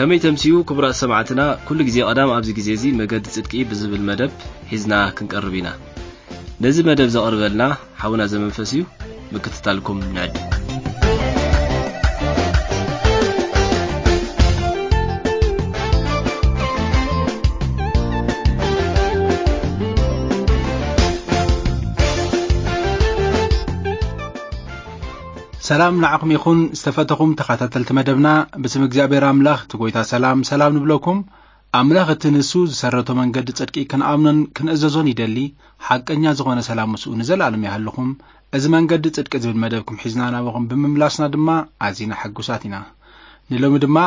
ከመይ ተምስዩ ክቡራት ሰማዕትና፣ ኩሉ ግዜ ቀዳም ኣብዚ ግዜ እዚ መገዲ ጽድቂ ብዝብል መደብ ሒዝና ክንቀርብ ኢና። ነዚ መደብ ዘቕርበልና ሓውና ዘመንፈስ እዩ። ምክትታልኩም ንዕድ። ሰላም ንዓኹም ይኹን ዝተፈተኹም ተኸታተልቲ መደብና። ብስም እግዚኣብሔር ኣምላኽ እቲ ጎይታ ሰላም ሰላም ንብለኩም። ኣምላኽ እቲ ንሱ ዝሰረቶ መንገዲ ጽድቂ ክንኣምኖን ክንእዘዞን ይደሊ። ሓቀኛ ዝኾነ ሰላም ምስኡ ንዘለኣለም ይሃልኹም። እዚ መንገዲ ጽድቂ ዝብል መደብኩም ሒዝና ናባኹም ብምምላስና ድማ ኣዚና ሕጉሳት ኢና። ንሎሚ ድማ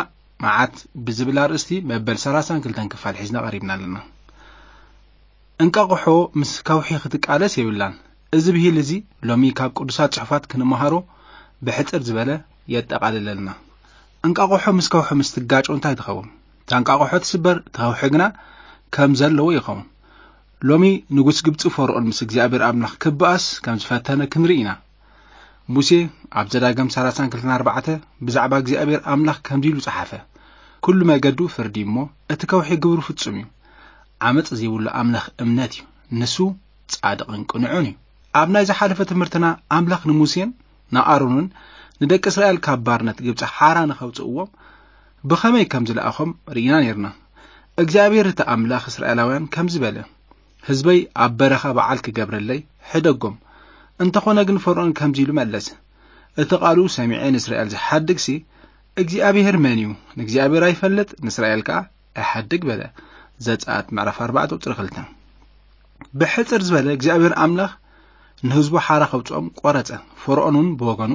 መዓት ብዝብል ኣርእስቲ መበል ሰላሳን ክልተን ክፋል ሒዝና ቀሪብና ኣለና። እንቃቑሖ ምስ ከውሒ ክትቃለስ የብላን። እዚ ብሂል እዚ ሎሚ ካብ ቅዱሳት ጽሑፋት ክንመሃሮ ብሕጽር ዝበለ የጠቓልለልና። እንቃቑሖ ምስ ከውሒ ምስ ትጋጮ እንታይ ትኸውን? እታ እንቃቑሖ ትስበር፣ እቲ ከውሒ ግና ከም ዘለዎ ይኸውን። ሎሚ ንጉስ ግብጺ ፈርኦን ምስ እግዚኣብሔር ኣምላኽ ክበኣስ ከም ዝፈተነ ክንርኢ ኢና። ሙሴ ኣብ ዘዳግም ሰላሳን ክልተን ኣርባዕተ ብዛዕባ እግዚኣብሔር ኣምላኽ ከምዚ ኢሉ ጸሓፈ፣ "ኩሉ መገዱ ፍርዲ እሞ እቲ ከውሒ ግብሩ ፍጹም እዩ። ዓመጽ ዘይብሉ ኣምላኽ እምነት እዩ፣ ንሱ ጻድቕን ቅኑዕን እዩ።" ኣብ ናይ ዝሓለፈ ትምህርትና ኣምላኽ ንሙሴን ንኣሮንን ንደቂ እስራኤል ካብ ባርነት ግብጺ ሓራ ንኸውጽእዎም ብኸመይ ከም ዝለኣኾም ርኢና ነይርና። እግዚኣብሔር እቲ ኣምላኽ እስራኤላውያን ከምዚ በለ፣ "ህዝበይ ኣብ በረኻ በዓል ክገብረለይ ሕደጎም።" እንተኾነ ግን ፈርኦን ከምዚ ኢሉ መለሰ፣ "እቲ ቃሉ ሰሚዐ ንእስራኤል ዝሓድግሲ እግዚኣብሔር መን እዩ? ንእግዚኣብሔር ኣይፈልጥ፣ ንእስራኤል ከኣ ኣይሓድግ" በለ። ዘጸኣት ምዕራፍ ኣርባዕተ ቁጽሪ ክልተ። ብሕጽር ዝበለ እግዚኣብሔር ኣምላኽ ንህዝቡ ሓራ ከውጽኦም ቆረጸ። ፈርኦን እውን ብወገኑ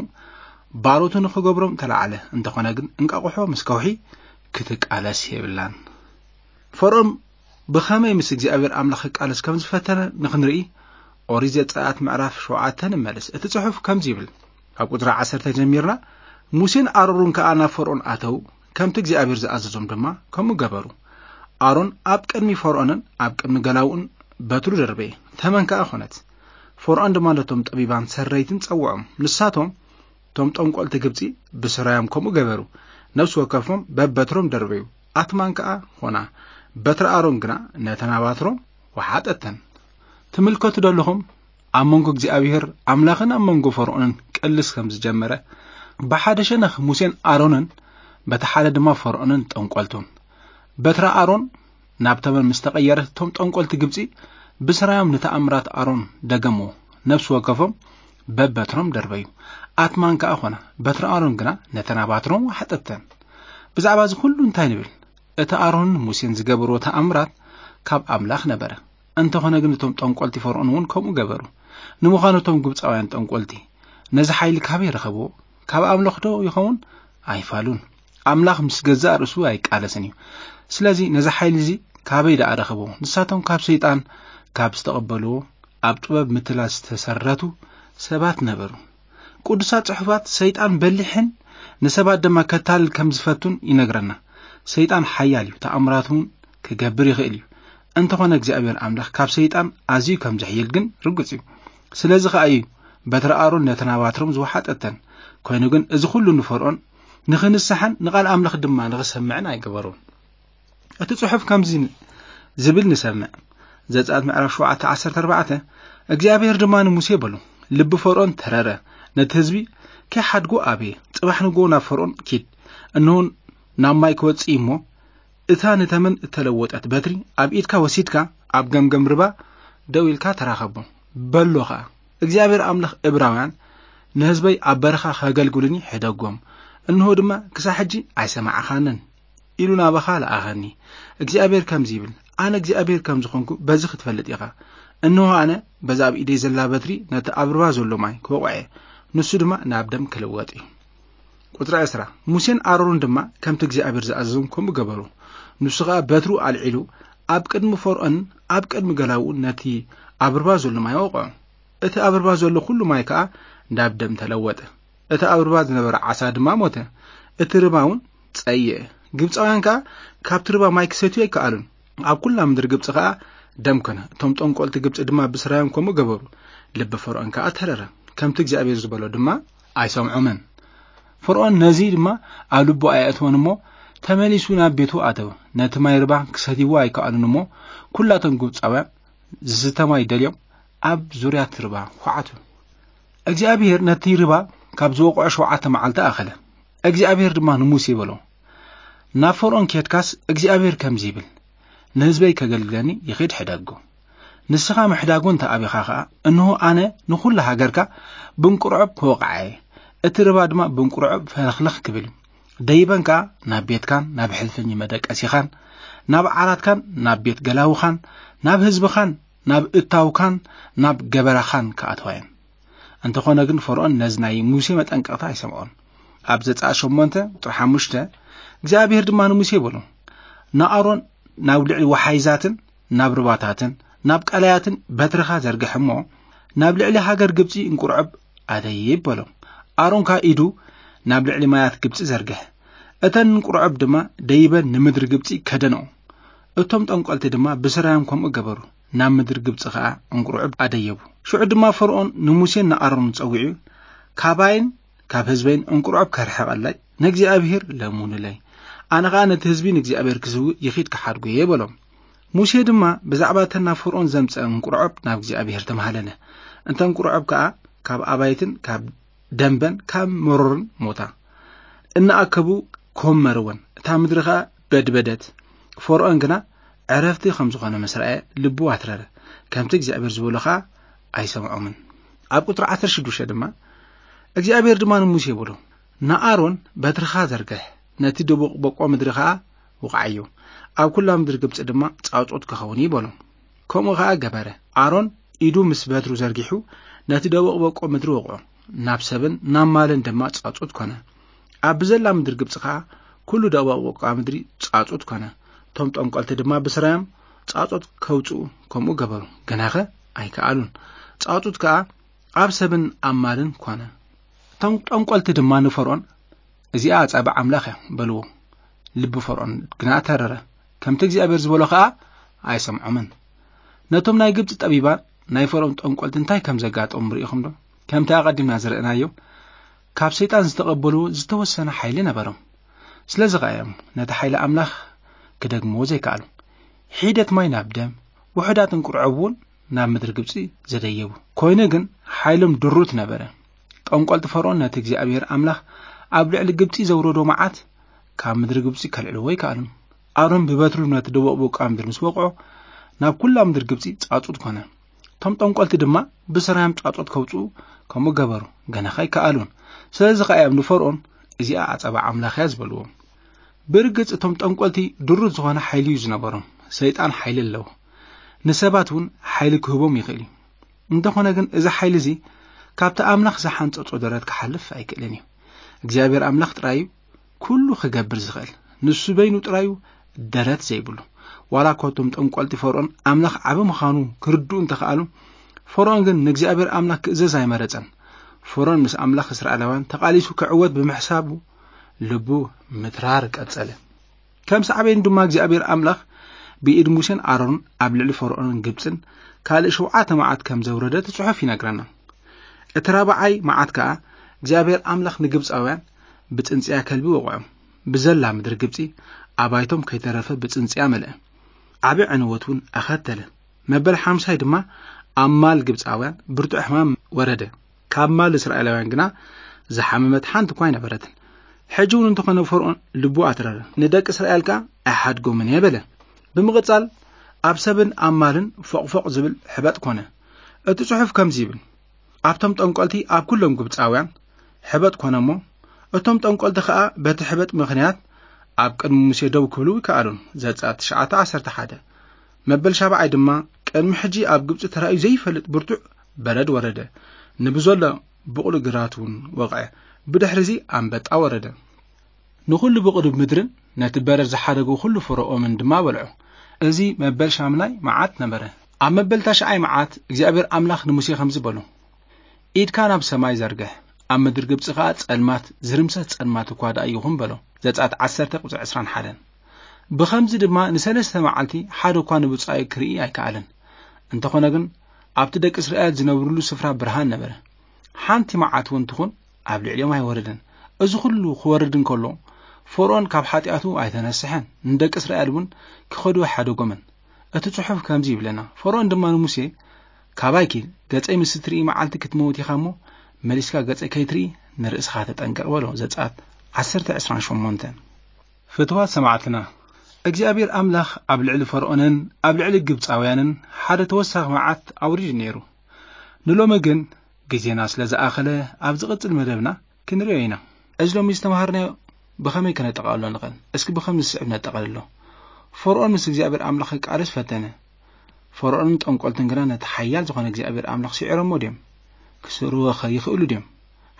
ባሮቱ ንኽገብሮም ተላዓለ። እንተኾነ ግን እንቃቑሖ ምስ ከውሒ ክትቃለስ የብላን። ፈርኦን ብኸመይ ምስ እግዚኣብሔር ኣምላኽ ክቃለስ ከም ዝፈተነ ንኽንርኢ ኦሪት ዘጸኣት ምዕራፍ ሸውዓተ ንመለስ። እቲ ጽሑፍ ከምዚ ይብል፣ ካብ ቁጽሪ ዓሰርተ ጀሚርና፣ "ሙሴን ኣሮርን ከኣ ናብ ፈርኦን ኣተዉ፣ ከምቲ እግዚኣብሔር ዝኣዘዞም ድማ ከምኡ ገበሩ። ኣሮን ኣብ ቅድሚ ፈርኦንን ኣብ ቅድሚ ገላውኡን በትሩ ደርበየ፣ ተመን ከኣ ኾነት። ፈርኦን ድማ ነቶም ጠቢባን ሰረይትን ጸውዖም፣ ንሳቶም እቶም ጠንቆልቲ ግብጺ ብስራዮም ከምኡ ገበሩ። ነፍሲ ወከፎም በበትሮም ደርበዩ፣ ኣትማን ከኣ ኾና። በትሪ ኣሮን ግና ነተን ኣባትሮም ወሓጠተን።" ትምልከቱ ዶ ኣለኹም? ኣብ መንጎ እግዚኣብሔር ኣምላኽን ኣብ መንጎ ፈርኦንን ቅልስ ከም ዝጀመረ፣ ብሓደ ሸነኽ ሙሴን ኣሮንን፣ በቲ ሓደ ድማ ፈርኦንን ጠንቆልቱን። በትሪ ኣሮን ናብ ተመን ምስ ተቐየረ፣ እቶም ጠንቆልቲ ግብጺ ብስራዮም ንተኣምራት ኣሮን ደገምዎ። ነፍሲ ወከፎም በበትሮም ደርበዩ። ኣትማን ከኣ ኾና፣ በትሪ ኣሮን ግና ነተን ኣባትሮም ወሓጠተን። ብዛዕባ እዚ ኩሉ እንታይ ንብል? እቲ ኣሮንን ሙሴን ዝገበርዎ ተኣምራት ካብ ኣምላኽ ነበረ። እንተኾነ ግን እቶም ጠንቆልቲ ፈርኦን እውን ከምኡ ገበሩ። ንምዃኑ እቶም ግብጻውያን ጠንቆልቲ ነዚ ሓይሊ ካበይ ረኸብዎ? ካብ ኣምላኽ ዶ ይኸውን? ኣይፋሉን። ኣምላኽ ምስ ገዛእ ርእሱ ኣይቃለስን እዩ። ስለዚ ነዚ ሓይሊ እዚ ካበይ ደኣ ረኸብዎ? ንሳቶም ካብ ሰይጣን ካብ ዝተቐበልዎ ኣብ ጥበብ ምትላል ዝተሰረቱ ሰባት ነበሩ። ቅዱሳት ጽሑፋት ሰይጣን በሊሕን ንሰባት ድማ ከታልል ከም ዝፈቱን ይነግረና። ሰይጣን ሓያል እዩ፣ ተኣምራት እውን ክገብር ይኽእል እዩ። እንተኾነ እግዚኣብሔር ኣምላኽ ካብ ሰይጣን ኣዝዩ ከም ዝሕይል ግን ርጉጽ እዩ። ስለዚ ኸኣ እዩ በትሪ ኣሮን ነተን ኣባትሮም ዝወሓጠተን። ኮይኑ ግን እዚ ኹሉ ንፈርኦን ንኽንስሓን ንቓል ኣምላኽ ድማ ንኽሰምዕን ኣይገበሮን። እቲ ጽሑፍ ከምዚ ዝብል ንሰምዕ። ዘጸኣት ምዕራፍ ሸውዓተ ዓሰርተ ኣርባዕተ፣ እግዚኣብሔር ድማ ንሙሴ በሎ፣ "ልቢ ፈርኦን ተረረ፣ ነቲ ህዝቢ ከይሓድጎ ኣበየ። ጽባሕ ንግሆ ናብ ፈርኦን ኪድ፣ እንሆ ናብ ማይ ክወጽእ እሞ፣ እታ ንተመን እተለወጠት በትሪ ኣብ ኢድካ ወሲድካ ኣብ ገምገም ርባ ደው ኢልካ ተራኸቦ" በሎ ኸኣ። እግዚኣብሔር ኣምላኽ እብራውያን "ንህዝበይ ኣብ በረኻ ከገልግሉኒ ሕደጎም፣ እንሆ ድማ ክሳብ ሕጂ ኣይሰማዕኻንን" ኢሉ ናባኻ ለኣኸኒ። እግዚኣብሔር ከምዚ ይብል፣ "ኣነ እግዚኣብሔር ከም ዝኾንኩ በዚ ክትፈልጥ ኢኻ። እንሆ ኣነ በዛ ኣብ ኢደይ ዘላ በትሪ ነቲ ኣብ ርባ ዘሎ ማይ ክወቕዖ እየ፣ ንሱ ድማ ናብ ደም ክልወጥ እዩ።" ቁጽሪ ዕስራ፣ ሙሴን ኣሮንን ድማ ከምቲ እግዚኣብሔር ዝኣዘዞም ከምኡ ገበሩ። ንሱ ኸኣ በትሩ ኣልዒሉ ኣብ ቅድሚ ፈርኦንን ኣብ ቅድሚ ገላውኡን ነቲ ኣብ ርባ ዘሎ ማይ ኣወቕዖ። እቲ ኣብ ርባ ዘሎ ኹሉ ማይ ከኣ ናብ ደም ተለወጠ። እቲ ኣብ ርባ ዝነበረ ዓሳ ድማ ሞተ። እቲ ርባ እውን ጸየአ። ግብጻውያን ከኣ ካብቲ ርባ ማይ ክሰትዩ ኣይከኣሉን። ኣብ ኩላ ምድሪ ግብጺ ከኣ ደም ኮነ። እቶም ጠንቆልቲ ግብጺ ድማ ብስራዮም ከምኡ ገበሩ። ልቢ ፈርኦን ከኣ ተረረ። ከምቲ እግዚኣብሔር ዝበሎ ድማ ኣይሰምዖምን። ፈርኦን ነዚ ድማ ኣብ ልቡ ኣየእተወን እሞ፣ ተመሊሱ ናብ ቤቱ ኣተወ። ነቲ ማይ ርባ ክሰትይዎ ኣይከኣሉን እሞ፣ ኩላቶም ግብጻውያን ዝስተ ማይ ደልዮም ኣብ ዙርያ እቲ ርባ ኳዓቱ። እግዚኣብሔር ነቲ ርባ ካብ ዝወቕዖ ሸውዓተ መዓልቲ ኣኸለ። እግዚኣብሔር ድማ ንሙሴ በሎ፣ "ናብ ፈርኦን ኬድካስ እግዚኣብሔር ከምዚ ይብል፣ ንህዝበይ ከገልግለኒ ይኺድ ሕደጎ። ንስኻ ምሕዳጉ እንተ ኣቢኻ ኸኣ፣ እንሆ ኣነ ንኹላ ሃገርካ ብንቁርዖብ ክወቕዓ እየ፣ እቲ ርባ ድማ ብንቁርዖብ ፈለኽለኽ ክብል፣ ደይበን ከኣ ናብ ቤትካን ናብ ሕልፍኝ መደቀሲኻን ናብ ዓራትካን ናብ ቤት ገላውኻን ናብ ህዝብኻን ናብ እታውካን ናብ ገበራኻን ክኣትዋ እየን።" እንተኾነ ግን ፈርኦን ነዚ ናይ ሙሴ መጠንቀቕታ ኣይሰምዖን። ኣብ ዘጸኣት ሸሞንተ ቁጽሪ ሓሙሽተ፣ እግዚኣብሔር ድማ ንሙሴ በሎ፣ "ንኣሮን ናብ ልዕሊ ወሓይዛትን ናብ ርባታትን ናብ ቀላያትን በትርኻ ዘርግሕ እሞ፣ ናብ ልዕሊ ሃገር ግብጺ እንቁርዖብ ኣደይብ" በሎ። ኣሮን ከኣ ኢዱ ናብ ልዕሊ ማያት ግብጺ ዘርግሕ። እተን እንቁርዖብ ድማ ደይበን ንምድሪ ግብጺ ከደንኦ። እቶም ጠንቆልቲ ድማ ብስራዮም ከምኡ ገበሩ። ናብ ምድሪ ግብጺ ኸኣ እንቁርዖብ ኣደየቡ። ሽዑ ድማ ፈርኦን ንሙሴን ንኣሮንን ጸዊዑ፣ "ካባይን ካብ ህዝበይን እንቁርዖብ ከርሕቐለይ ንእግዚኣብሔር ለምኑለይ። ኣነ ኸኣ ነቲ ህዝቢ ንእግዚኣብሔር ክስውእ ይኺድ ክሓድጎ እየ" በሎም። ሙሴ ድማ ብዛዕባ እተን ናብ ፈርኦን ዘምጸ እንቁርዖብ ናብ እግዚኣብሔር ተማህለለ። እንተ እንቁርዖብ ከኣ ካብ ኣባይትን ካብ ደንበን ካብ መሮርን ሞታ። እናኣከቡ ኮመርወን። እታ ምድሪ ኸኣ በድበደት። ፈርኦን ግና ዕረፍቲ ከም ዝኾነ ምስ ረኣየ ልቡ ኣትረረ። ከምቲ እግዚኣብሔር ዝበሎ ኸኣ ኣይሰምዖምን። ኣብ ቁጽሪ ዓሰርተ ሽዱሽተ ድማ እግዚኣብሔር ድማ ንሙሴ በሎ፣ "ንኣሮን በትርኻ ዘርግሕ፣ ነቲ ደቡቕ በቆ ምድሪ ኸኣ ውቕዓዮ፣ ኣብ ኩላ ምድሪ ግብጺ ድማ ጻውጾት ክኸውን እዩ" በሎ። ከምኡ ኸኣ ገበረ። ኣሮን ኢዱ ምስ በትሩ ዘርጊሑ ነቲ ደቡቕ በቆ ምድሪ ወቕዖ፣ ናብ ሰብን ናብ ማልን ድማ ጻውጾት ኮነ። ኣብ ብዘላ ምድሪ ግብጺ ኸኣ ኩሉ ደቡቕ በቆ ምድሪ ጻውጾት ኮነ። እቶም ጠንቆልቲ ድማ ብስራዮም ጻውጾት ከውጽኡ ከምኡ ገበሩ፣ ግናኸ ኣይከኣሉን። ጻውጾት ከኣ ኣብ ሰብን ኣብ ማልን ኮነ። እቶም ጠንቆልቲ ድማ ንፈርኦን፣ "እዚኣ ኣጻብዕ ኣምላኽ እያ" በልዎ። ልቢ ፈርኦን ግና ተረረ፣ ከምቲ እግዚኣብሔር ዝበሎ ኸኣ ኣይሰምዖምን። ነቶም ናይ ግብጺ ጠቢባን ናይ ፈርኦን ጠንቆልቲ እንታይ ከም ዘጋጠሞም ርኢኹም ዶ? ከምቲ ኣቐዲምና ዝረእናዮ፣ ካብ ሰይጣን ዝተቐበልዎ ዝተወሰነ ሓይሊ ነበሮም። ስለዚ ኸኣ እዮም ነቲ ሓይሊ ኣምላኽ ክደግምዎ ዘይከኣሉ። ሒደት ማይ ናብ ደም፣ ውሑዳት እንቁርዖብ እውን ናብ ምድሪ ግብጺ ዘደየቡ። ኮይኑ ግን ሓይሎም ድሩት ነበረ። ጠንቆልቲ ፈርኦን ነቲ እግዚኣብሔር ኣምላኽ ኣብ ልዕሊ ግብጺ ዘውረዶ መዓት ካብ ምድሪ ግብጺ ከልዕልዎ ኣይከኣሉን። ኣሮን ብበትሩ ነቲ ደቡቕ በቋ ምድሪ ምስ ወቕዖ፣ ናብ ኩላ ምድሪ ግብጺ ጻጹት ኮነ። እቶም ጠንቆልቲ ድማ ብስራዮም ጻጹት ከውጽኡ ከምኡ ገበሩ፣ ገና ከይከኣሉን። ስለዚ ኸኣ እዮም ንፈርኦን፣ "እዚኣ ኣጸባ ኣምላኽ እያ" ዝበልዎ። ብርግጽ እቶም ጠንቆልቲ ድሩት ዝኾነ ሓይሊ እዩ ዝነበሮም። ሰይጣን ሓይሊ ኣለዎ። ንሰባት እውን ሓይሊ ክህቦም ይኽእል እዩ። እንተኾነ ግን እዚ ሓይሊ እዚ ካብቲ ኣምላኽ ዝሓንጸጾ ደረት ክሓልፍ ኣይክእልን እዩ። እግዚኣብሔር ኣምላኽ ጥራይ እዩ ኩሉ ክገብር ዝኽእል። ንሱ በይኑ ጥራይ እዩ ደረት ዘይብሉ። ዋላ እኳ እቶም ጠንቆልቲ ፈርኦን ኣምላኽ ዓቢ ምዃኑ ክርድኡ እንተኸኣሉ፣ ፈርኦን ግን ንእግዚኣብሔር ኣምላኽ ክእዘዝ ኣይመረጸን። ፈርኦን ምስ ኣምላኽ እስራኤላውያን ተቓሊሱ ክዕወት ብምሕሳቡ ልቡ ምትራር ቀጸለ። ከም ሳዕቤን ድማ እግዚኣብሔር ኣምላኽ ብኢድ ሙሴን ኣሮንን ኣብ ልዕሊ ፈርኦንን ግብጽን ካልእ ሸውዓተ መዓት ከም ዘውረደ እቲ ጽሑፍ ይነግረና። እቲ ራብዓይ መዓት ከኣ እግዚኣብሔር ኣምላኽ ንግብጻውያን ብጽንጽያ ከልቢ ወቕዖም። ብዘላ ምድሪ ግብጺ ኣባይቶም ከይተረፈ ብጽንጽያ መልአ። ዓቢ ዕንወት እውን ኣኸተለ። መበል ሓምሳይ ድማ ኣብ ማል ግብጻውያን ብርቱዕ ሕማም ወረደ። ካብ ማል እስራኤላውያን ግና ዝሓመመት ሓንቲ እኳ ኣይነበረትን። ሕጂ እውን እንተኾነ ፈርኦን ልቡ ኣትረረ። ንደቂ እስራኤል ከኣ ኣይሓድጎምን እየ በለ። ብምቕጻል ኣብ ሰብን ኣብ ማልን ፎቕፎቕ ዝብል ሕበጥ ኮነ። እቲ ጽሑፍ ከምዚ ይብል፣ ኣብቶም ጠንቆልቲ ኣብ ኩሎም ግብጻውያን ሕበጥ ኮነ እሞ፣ እቶም ጠንቆልቲ ኸኣ በቲ ሕበጥ ምኽንያት ኣብ ቅድሚ ሙሴ ደው ክብሉ ኣይከኣሉን። ዘጸኣት ትሽዓተ ዓሰርተ ሓደ። መበል ሻብዓይ ድማ ቅድሚ ሕጂ ኣብ ግብጺ ተራእዩ ዘይፈልጥ ብርቱዕ በረድ ወረደ። ንብዘሎ ብቑሊ ግራት እውን ወቕዐ። ብድሕሪ እዚ ኣንበጣ ወረደ። ንኹሉ ብቑሊ ምድርን ነቲ በረድ ዝሓደጎ ኩሉ ፍረ ኦምን ድማ በልዖ። እዚ መበል ሻምናይ መዓት ነበረ። ኣብ መበል ታሽዓይ መዓት እግዚኣብሔር ኣምላኽ ንሙሴ ከምዚ በሎ፣ "ኢድካ ናብ ሰማይ ዘርግሕ፣ ኣብ ምድሪ ግብጺ ኸኣ ጸልማት፣ ዝርምሰስ ጸልማት እኳ ደኣ ይኹን" በሎ። ዘጸኣት ዓሰርተ ቁጽሪ ዕስራን ሓደን። ብኸምዚ ድማ ንሰለስተ መዓልቲ ሓደ እኳ ንብጻዩ ክርኢ ኣይከኣለን። እንተኾነ ግን ኣብቲ ደቂ እስራኤል ዝነብሩሉ ስፍራ ብርሃን ነበረ። ሓንቲ መዓት እውን ትኹን ኣብ ልዕሊኦም ኣይወረደን። እዚ ኩሉ ክወርድ እንከሎ ፈርኦን ካብ ሓጢኣቱ ኣይተነስሐን፣ ንደቂ እስራኤል እውን ክኸዱ ሓደጎመን። እቲ ጽሑፍ ከምዚ ይብለና፣ ፈርኦን ድማ ንሙሴ፣ "ካባይ ኪድ፣ ገጸይ ምስ እትርኢ መዓልቲ ክትመውት ኢኻ እሞ፣ መሊስካ ገጸይ ከይትርኢ ንርእስኻ ተጠንቀቕ" በሎ። ዘጸኣት ዓሰርተ ዕስራን ሸሞንተን። ፍትዋት ሰማዕትና፣ እግዚኣብሔር ኣምላኽ ኣብ ልዕሊ ፈርኦንን ኣብ ልዕሊ ግብጻውያንን ሓደ ተወሳኺ መዓት ኣውሪዱ ነይሩ። ንሎሚ ግን ግዜና ስለ ዝኣኸለ፣ ኣብ ዝቕጽል መደብና ክንርእዮ ኢና። እዚ ሎሚ ዝተምሃርናዮ ብኸመይ ከነጠቓልሎ ንኽእል? እስኪ ብኸም ዝስዕብ ነጠቓልሎ። ፈርኦን ምስ እግዚኣብሔር ኣምላኽ ክቃለስ ፈተነ። ፈርኦንን ጠንቆልትን ግና ነቲ ሓያል ዝኾነ እግዚኣብሔር ኣምላኽ ስዒሮሞ ድዮም? ክስዕርዎ ኸ ይኽእሉ ድዮም?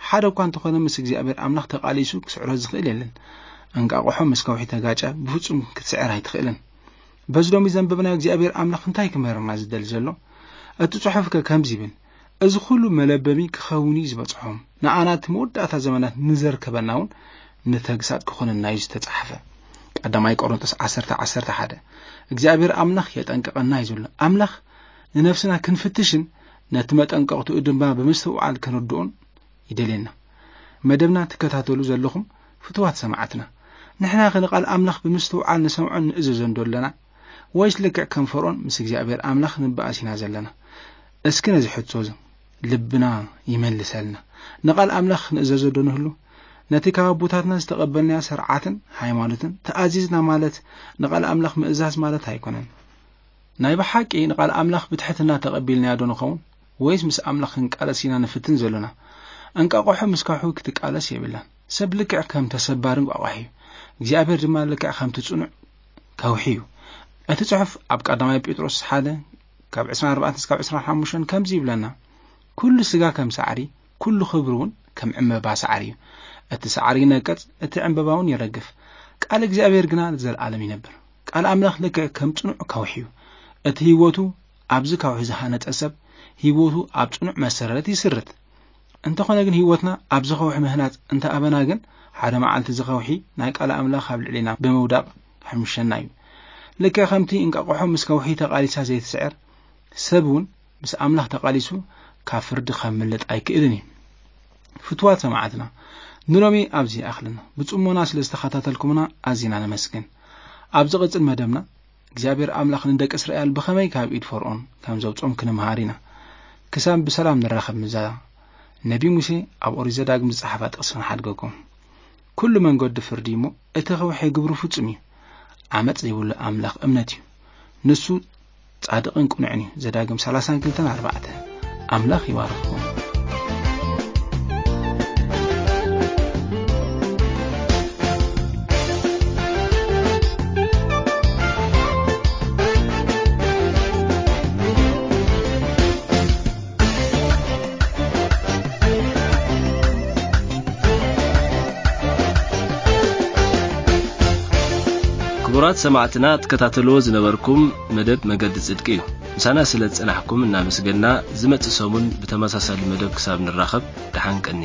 ሓደ እኳ እንተኾነ፣ ምስ እግዚኣብሔር ኣምላኽ ተቓሊሱ ክስዕሮ ዝኽእል የለን። እንቃቑሖ ምስ ከውሒ ተጋጨ፣ ብፍጹም ክትስዕር ኣይትኽእልን። በዚ ሎሚ ዘንበብናዮ እግዚኣብሔር ኣምላኽ እንታይ ክምህረና ዝደሊ ዘሎ? እቲ ጽሑፍ ከ ከምዚ ይብል፣ "እዚ ኹሉ መለበሚ ክኸውን እዩ ዝበጽሖም፣ ንኣና እቲ መወዳእታ ዘመናት ንዘርከበና እውን ንተግሳጽ ክኾነና እዩ ዝተጻሕፈ።" ቀዳማይ ቆሮንቶስ ዓሰርተ፣ ዓሰርተ ሓደ። እግዚኣብሔር ኣምላኽ የጠንቅቐና እዩ ዘሎ። ኣምላኽ ንነፍስና ክንፍትሽን ነቲ መጠንቀቕትኡ ድማ ብምስትውዓል ክንርድኦን ይደልየና። መደብና ትከታተሉ ዘለኹም ፍትዋት ሰማዕትና፣ ንሕና ኸ ንቓል ኣምላኽ ብምስትውዓል ንሰምዖን ንእዘዞን ዶ ኣለና? ወይስ ልክዕ ከም ፈርኦን ምስ እግዚኣብሔር ኣምላኽ ንበኣስ ኢና ዘለና? እስኪ ነዚ ሕቶ እዚ ልብና ይመልሰልና። ንቓል ኣምላኽ ንእዘዞ ዶ ንህሉ? ነቲ ካብ ኣቦታትና ዝተቐበልናዮ ስርዓትን ሃይማኖትን ተኣዚዝና ማለት ንቓል ኣምላኽ ምእዛዝ ማለት ኣይኮነን። ናይ ብሓቂ ንቓል ኣምላኽ ብትሕትና ተቐቢልናዮ ዶ ንኸውን? ወይስ ምስ ኣምላኽ ክንቃለስ ኢና ንፍትን ዘሎና? እንቃቑሖ ምስ ከውሒ ክትቃለስ የብላን። ሰብ ልክዕ ከም ተሰባሪ እንቋቑሖ እዩ። እግዚኣብሔር ድማ ልክዕ ከምቲ ጽኑዕ ከውሒ እዩ። እቲ ጽሑፍ ኣብ ቀዳማይ ጴጥሮስ ሓደ ካብ ዕስራን ኣርባዕተን እስካብ ዕስራን ሓሙሽተን ከምዚ ይብለና፣ "ኩሉ ስጋ ከም ሳዕሪ፣ ኩሉ ክብሪ እውን ከም ዕምበባ ሳዕሪ እዩ። እቲ ሳዕሪ ይነቅጽ፣ እቲ ዕምበባ እውን ይረግፍ፣ ቃል እግዚኣብሔር ግና ንዘለኣለም ይነብር።" ቃል ኣምላኽ ልክዕ ከም ጽኑዕ ከውሒ እዩ። እቲ ህይወቱ ኣብዚ ከውሒ ዝሃነጸ ሰብ፣ ህይወቱ ኣብ ጽኑዕ መሰረት ይስርት። እንተኾነ ግን ህይወትና ኣብዚ ከውሒ ምህናጽ እንተኣበና ግን፣ ሓደ መዓልቲ እዚ ከውሒ ናይ ቃል ኣምላኽ ኣብ ልዕሌና ብምውዳቕ ክሕምሸና እዩ። ልክዕ ከምቲ እንቃቑሖ ምስ ከውሒ ተቓሊሳ ዘይትስዕር፣ ሰብ እውን ምስ ኣምላኽ ተቓሊሱ ካብ ፍርዲ ከምልጥ ኣይክእልን እዩ። ፍትዋት ሰማዕትና፣ ንሎሚ ኣብዚ ይኣኽልና። ብጽሞና ስለ ዝተኸታተልኩምና ኣዚና ነመስግን። ኣብ ዝቕጽል መደብና እግዚኣብሔር ኣምላኽ ንደቂ እስራኤል ብኸመይ ካብ ኢድ ፈርኦን ከም ዘውጽኦም ክንምሃር ኢና። ክሳብ ብሰላም ንራኸብ ምስዛ ነቢ ሙሴ ኣብ ኦሪት ዘዳግም ዝጸሓፋ ጥቕሲ ክንሓድገኩም። "ኩሉ መንገዱ ፍርዲ እሞ እቲ ከውሒ ግብሩ ፍጹም እዩ። ዓመጽ ዘይብሉ ኣምላኽ እምነት እዩ። ንሱ ጻድቕን ቅኑዕን እዩ።" ዘዳግም ሰላሳን ክልተን ኣርባዕተ። ኣምላኽ ይባርኽኩም። ክቡራት ሰማዕትና፣ ትከታተልዎ ዝነበርኩም መደብ መገዲ ጽድቂ እዩ። ምሳና ስለ ዝጸናሕኩም እናመስገንና፣ ዝመጽእ ሰሙን ብተመሳሳሊ መደብ ክሳብ ንራኸብ፣ ደሓን ቀኒ።